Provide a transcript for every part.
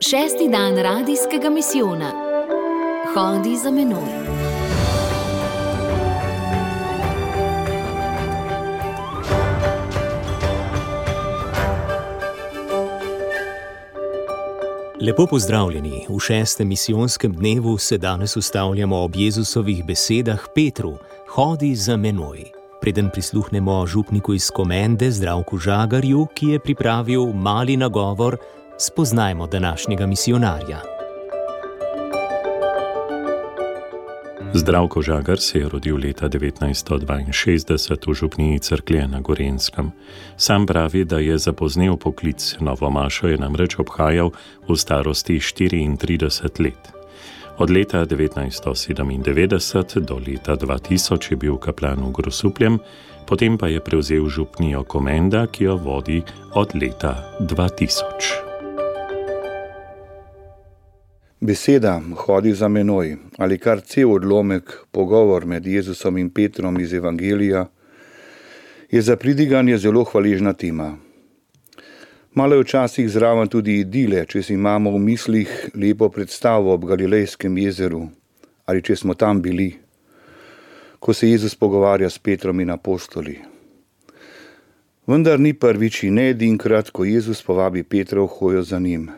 Šesti dan radijskega misijona. Hodi za menoj. Lepo pozdravljeni. V šestem misijonskem dnevu se danes ustavljamo ob Jezusovih besedah Petru: Hodi za menoj. Preden prisluhnemo župniku iz Komende Zdravku Žagarju, ki je pripravil mali nagovor, spoznajmo današnjega misijonarja. Zdravko Žagar se je rodil leta 1962 v župniji Cerklje na Gorenjskem. Sam pravi, da je zapoznel poklic, novo mašo je namreč obhajal v starosti 34 let. Od leta 1997 do leta 2000 je bil kaplan v Grosupljem, potem pa je prevzel župnijo Komenda, ki jo vodi od leta 2000. Beseda hodi za menoj ali kar cel odlomek, pogovor med Jezusom in Petrom iz Evangelija, je za pridiganje zelo hvaležna tema. Malo je včasih zraven tudi idile, če si imamo v mislih lepo predstavo ob Galilejskem jezeru ali če smo tam bili, ko se Jezus pogovarja s Petrom in apostoli. Vendar ni prvič in ne edinkrat, ko Jezus povabi Petra v hojo za njim.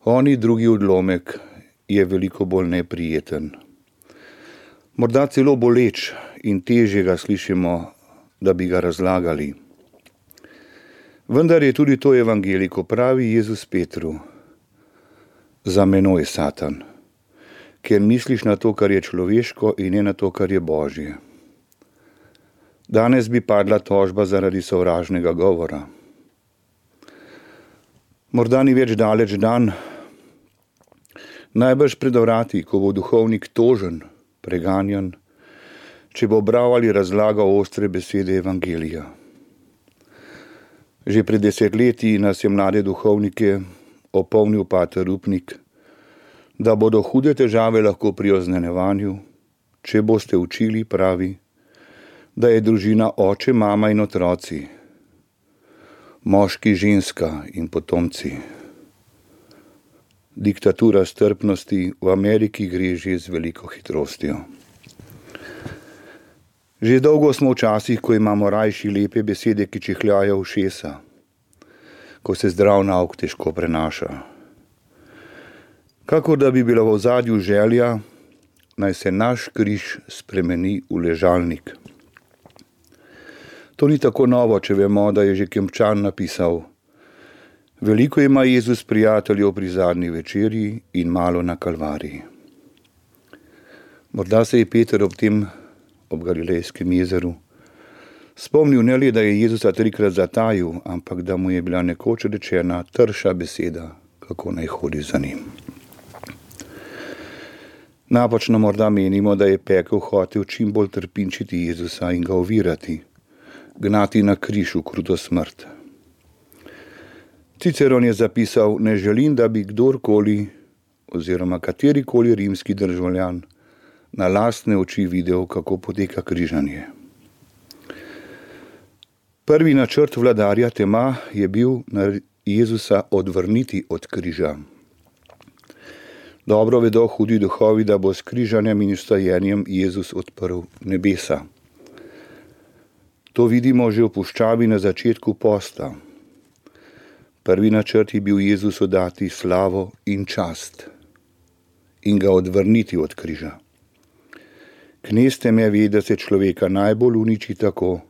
Oni drugi odlomek je veliko bolj neprijeten. Morda celo boleč in težje ga slišimo, da bi ga razlagali. Vendar je tudi to evangelij, ko pravi Jezus Petru: za menoj, Satan, ker misliš na to, kar je človeško in ne na to, kar je Božje. Danes bi padla tožba zaradi sovražnega govora. Morda ni več daleč dan, najbrž pred vrati, ko bo duhovnik tožen, preganjan, če bo bral ali razlagal ostre besede evangelija. Že pred 10 leti nas je mlade duhovnike opomnil pater Rupnik, da bodo hude težave lahko pri oznanjevanju, če boste učili, pravi, da je družina oče, mama in otroci, moški, ženska in potomci. Diktatura strpnosti v Ameriki gre že z veliko hitrostjo. Že dolgo smo v časih, ko imamo rajši lepe besede, ki čihljajo ušesa, ko se zdrav nauk težko prenaša. Kakor da bi bila v ozadju želja, naj se naš križ spremeni v ležalnik. To ni tako novo, če vemo, da je že Kempčan napisal: veliko ima Jezus prijateljev pri zadnji večerji in malo na Kalvariji. Morda se je Peter ob Galilejskem jezeru spomnil ne le, da je Jezusa 3-krat zatajil, ampak da mu je bila nekoč rečena trša beseda, kako naj hodi za njim. Napačno morda menimo, da je pekel hotel čim bolj trpinčiti Jezusa in ga ovirati, gnati na križ v kruto smrt. Ciceron je zapisal: ne želim, da bi kdorkoli oziroma katerikoli rimski državljan na lastne oči videl, kako poteka križanje. Prvi načrt vladarja tema je bil Jezusa odvrniti od križa. Dobro vedo hudi duhovi, da bo s križanjem in vstajenjem Jezus odprl nebesa. To vidimo že v puščavi na začetku posta. Prvi načrt je bil Jezusu dati slavo in čast in ga odvrniti od križa. Knez teme ve, da se človeka najbolj uniči tako,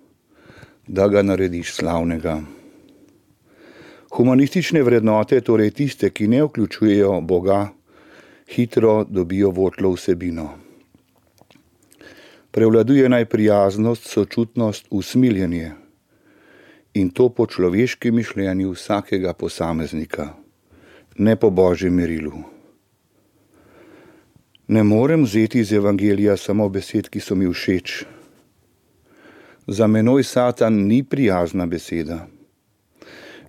da ga narediš slavnega. Humanistične vrednote, torej tiste, ki ne vključujejo Boga, hitro dobijo votlo vsebino. Prevladuje naj prijaznost, sočutnost, usmiljenje, in to po človeškem mišljenju vsakega posameznika, ne po Božjem merilu. Ne morem vzeti iz evangelija samo besed, ki so mi všeč. Za menoj, Satan, ni prijazna beseda.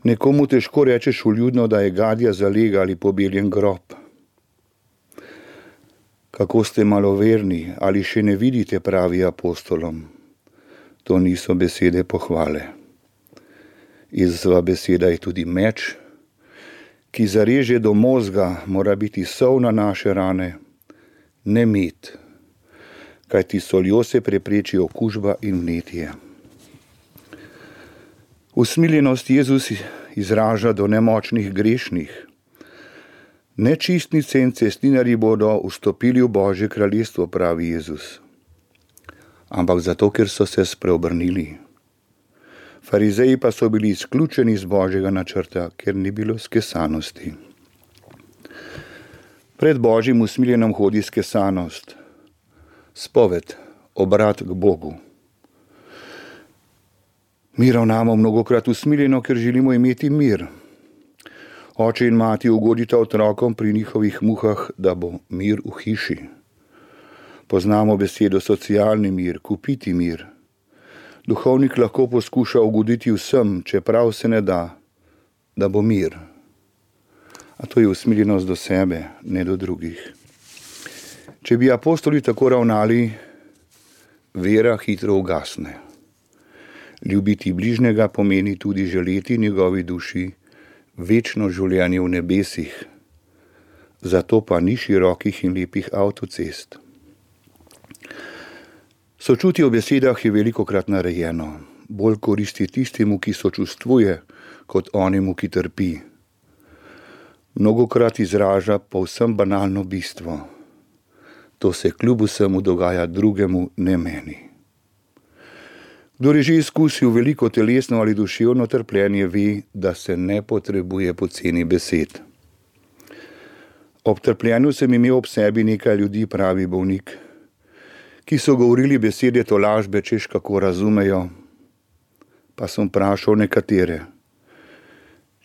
Nekomu težko rečeš vljudno, da je gadja zalega ali pobeljen grob. Kako ste maloverni, ali še ne vidite, pravi apostolom. To niso besede pohvale. Jezusova beseda je tudi meč, ki zareže do mozga, mora biti sol na naše rane, ne med, kajti soljo se prepreči okužba in vnetje. Usmiljenost Jezus izraža do nemočnih grešnih. Nečistnice in cestninarji bodo vstopili v Božje kraljestvo, pravi Jezus. Ampak zato, ker so se spreobrnili. Farizeji pa so bili izključeni iz Božjega načrta, ker ni bilo skesanosti. Pred Božjim usmiljenom hodi skesanost, spoved, obrat k Bogu. Mi ravnamo mnogokrat usmiljeno, ker želimo imeti mir. Oče in mati ugodita otrokom pri njihovih muhah, da bo mir v hiši. Poznamo besedo socialni mir, kupiti mir. Duhovnik lahko poskuša ugoditi vsem, čeprav se ne da, da bo mir. A to je usmiljenost do sebe, ne do drugih. Če bi apostoli tako ravnali, vera hitro ugasne. Ljubiti bližnjega pomeni tudi želeti njegovi duši večno življenje v nebesih. Zato pa ni širokih in lepih avtocest. Sočutje v besedah je velikokrat narejeno. Bolj koristi tistemu, ki sočustvuje, kot onemu, ki trpi. Mnogokrat izraža povsem banalno bistvo. To se kljub vsemu dogaja drugemu, ne meni. Kdor je že izkusil veliko telesno ali duševno trpljenje, ve, da se ne potrebuje poceni besed. Ob trpljenju sem imel ob sebi nekaj ljudi, pravi bolnik, ki so govorili besede tolažbe, češ kako razumejo, pa sem vprašal nekatere,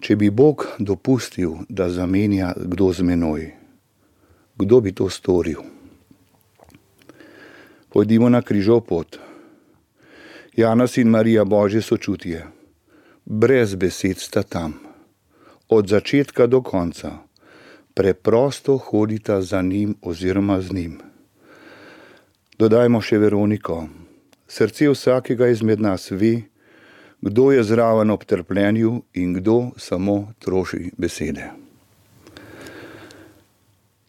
če bi Bog dopustil, da zamenja kdo z menoj, kdo bi to storil? Pojdimo na križov pot. Janez in Marija, Božje sočutje, brez besed sta tam, od začetka do konca, preprosto hodita za njim oziroma z njim. Dodajmo še Veroniko. Srce vsakega izmed nas ve, kdo je zraven ob trpljenju in kdo samo troši besede.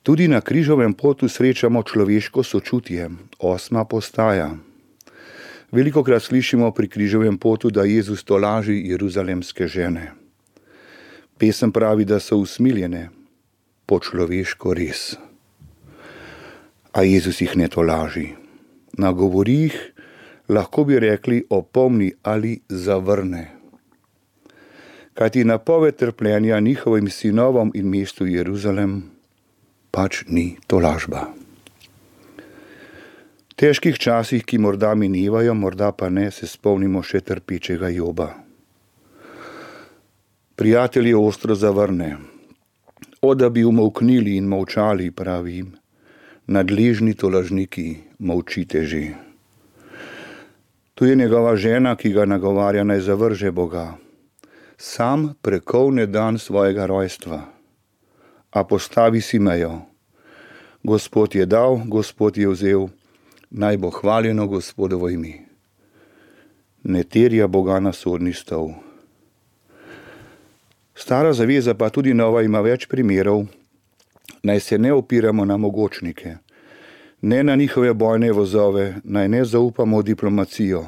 Tudi na križovem potu srečamo človeško sočutje, 8. postaja. Velikokrat slišimo pri križovem potu, da Jezus tolaži jeruzalemske žene. Pesem pravi, da so usmiljene, po človeško res. A Jezus jih ne tolaži. Nagovori jih, lahko bi rekli, opomni ali zavrne. Kajti napoved trpljenja njihovim sinovom in mestu Jeruzalem pač ni tolažba. V težkih časih, ki morda minevajo, morda pa ne, se spomnimo še trpečega Joba. Prijatelj je ostro zavrne. O, da bi umolknili in molčali, pravi jim, nadležni tolažniki, molčite že. Tu je njegova žena, ki ga nagovarja, naj zavrže Boga. Sam prekovne dan svojega rojstva, a postavi si mejo. Gospod je dal, Gospod je vzel, naj bo hvaljeno Gospodovo ime. Ne terja Boga na sodni stol. Stara zaveza, pa tudi nova, ima več primerov, naj se ne opiramo na mogočnike, ne na njihove bojne vozove, naj ne zaupamo v diplomacijo,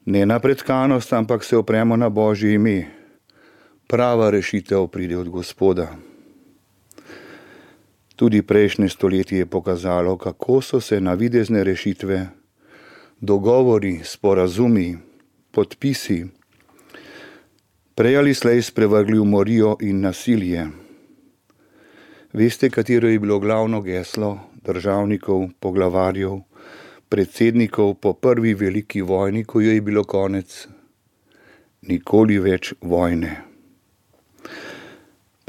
ne na pretkanost, ampak se opremo na Božje ime. Prava rešitev pride od Gospoda. Tudi prejšnje stoletje je pokazalo, kako so se navidezne rešitve, dogovori, sporazumi, podpisi prej ali slej sprevrgli v morijo in nasilje. Veste, katero je bilo glavno geslo državnikov, poglavarjev, predsednikov po prvi veliki vojni, ko jo je bilo konec? Nikoli več vojne.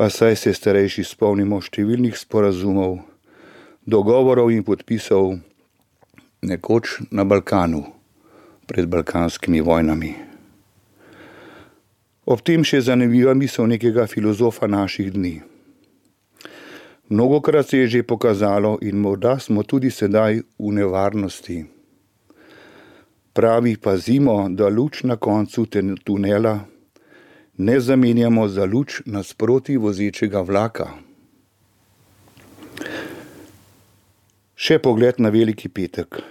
Pa saj se starejši spomnimo številnih sporazumov, dogovorov in podpisov nekoč na Balkanu, pred balkanskimi vojnami. Ob tem še zanimiva misel nekega filozofa naših dni. Mnogokrat se je že pokazalo in morda smo tudi sedaj v nevarnosti. Pravi, pazimo, da luč na koncu tunela ne zamenjamo za luč nasproti vozečega vlaka. Še pogled na Veliki petek.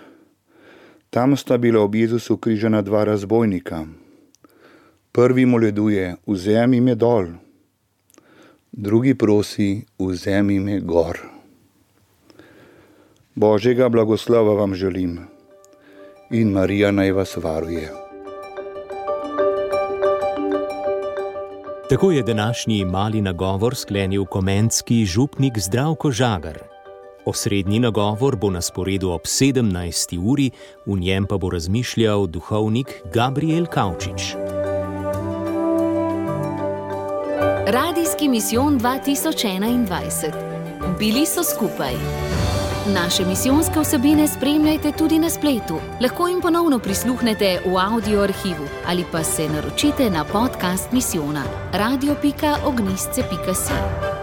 Tam sta bila ob Jezusu križana dva razbojnika. Prvi moleduje, vzemi me dol. Drugi prosi, vzemi me gor. Božjega blagoslova vam želim in Marija naj vas varuje. Tako je današnji mali nagovor sklenil komentski župnik Zdravko Žagar. Osrednji nagovor bo na sporedu ob 17. uri, v njem pa bo razmišljal duhovnik Gabriel Kavčič. Radijski misijon 2021. Bili so skupaj. Naše misijonske vsebine spremljajte tudi na spletu. Lahko jim ponovno prisluhnete v audio arhivu ali pa se naročite na podcast misijona radio.ognistce.si.